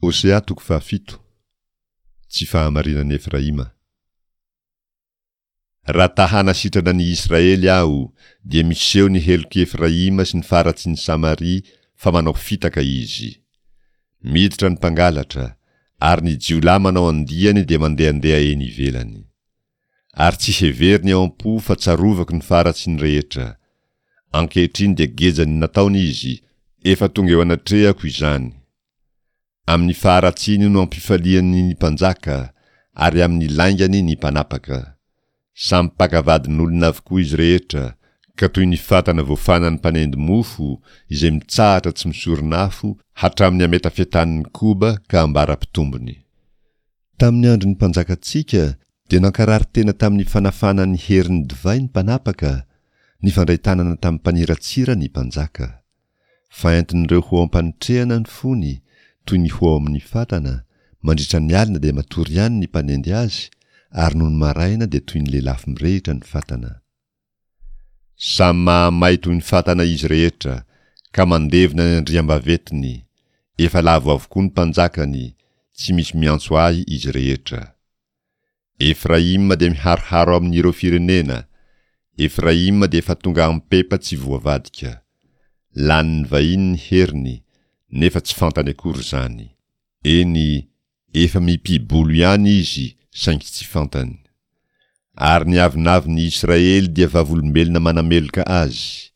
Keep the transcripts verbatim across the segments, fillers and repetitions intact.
Hosea toko fahafito. Tsy fahamarinan'i Efraima. Raha ta hanasitrana ny Israely aho, dia miseho ny helok'i Efraima sy ny faratsin'i Samaria fa manao fitaka izy. Miditra ny mpangalatra, ary ny jiolahy manao andiany dia mandehandeha eny ivelany. Ary tsy heveriny ao am-po fa tsarovako ny faharatsiany rehetra. Ankehitriny dia gejan'ny nataony izy, efa tonga eo anatrehako izany. Amin'ny faharatsiany no ampifaliany ny mpanjaka, ary amin'ny laingany ny mpanapaka. Samy mpaka vadin'olona avokoa izy rehetra, ka toy ny fatana voafanan'ny mpanendy mofo, izay mitsahatra tsy misoron'afo, hatramin'ny ametafetan'ny koba ka ambara-pitombony. Tamin'ny andron'ny mpanjakantsika dia nankarary tena tamin'ny fanafana ny herin'ny divay ny mpanapaka, nifandray tanana tamin'ny mpaniratsira ny mpanjaka. Fa entin'ireo ho ao am-panotrehana ny fony, toy ny ho ao amin'ny fatana, mandritra ny alina dia matory ihany ny mpanendy azy, ary nony maraina dia toy ny lelafo mirehitra ny fatana. Samy mahamay toy ny fatana izy rehetra, ka mandevona ny andriambavetiny, efa lavo avokoa ny mpanjakany, tsy misy miantso ahy izy rehetra. Efraima dia miharoharo amin'ireo firenena, Efraima dia efa tonga ampepa tsy voavadika. Lanin'ny vahiny ny heriny, nefa tsy fantany akory izany. Eny, efa mipi-bolo ihany izy, saingy tsy fantany. Ary ny avonavon'ny Israely dia vavolombelona manameloka azy.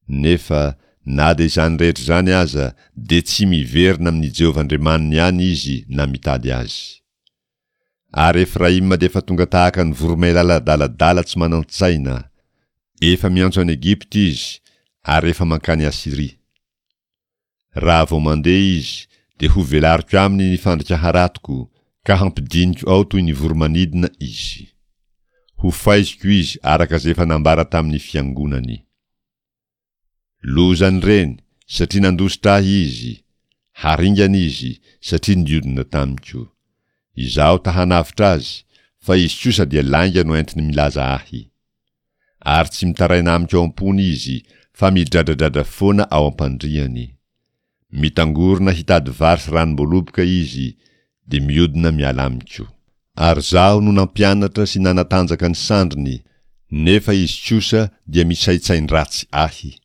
Nefa, na dia izany rehetra izany aza, dia tsy miverina amin'i Jehovah Andriamaniny ihany izy na mitady azy. Ary Efraima dia efa tonga tahaka ny voromailala adaladala tsy manan-tsaina. Efa miantso an'i Egypta izy, ary efa mankany Asyria. Raha vao mandeha izy, dia hovelariko aminy ny fandrika haratoko, ka hampidiniko ao toy ny voromanidina izy. Hofaiziko izy araka izay efa nambara tamin'ny fiangonany. Lozan'ireny, satria nandositra ahy izy! Haringana izy, satria niodina tamiko. Izaho ta hanavotra azy, fa izy kosa dia lainga no entiny milaza ahy. Ary tsy mitaraina amiko ao am-pony izy, fa midradradradra foana ao am-pandriany. Mitangorona hitady vary sy ranom-boaloboka izy, dia miodina miala amiko. Ary izaho no nampianatra sy nanatanjaka ny sandriny, nefa izy kosa dia misaintsain-dratsy ahy.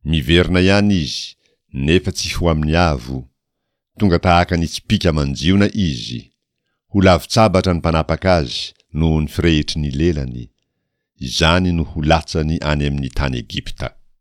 Miverina ihany izy, nefa tsy ho amin'ny avo. Tonga tahaka ny tsipìka aman-jiona izy. Ho lavon-tsabatra ny mpanapaka azy noho ny firehitry ny lelany. Izany no ho latsany any amin'ny tany Egypta.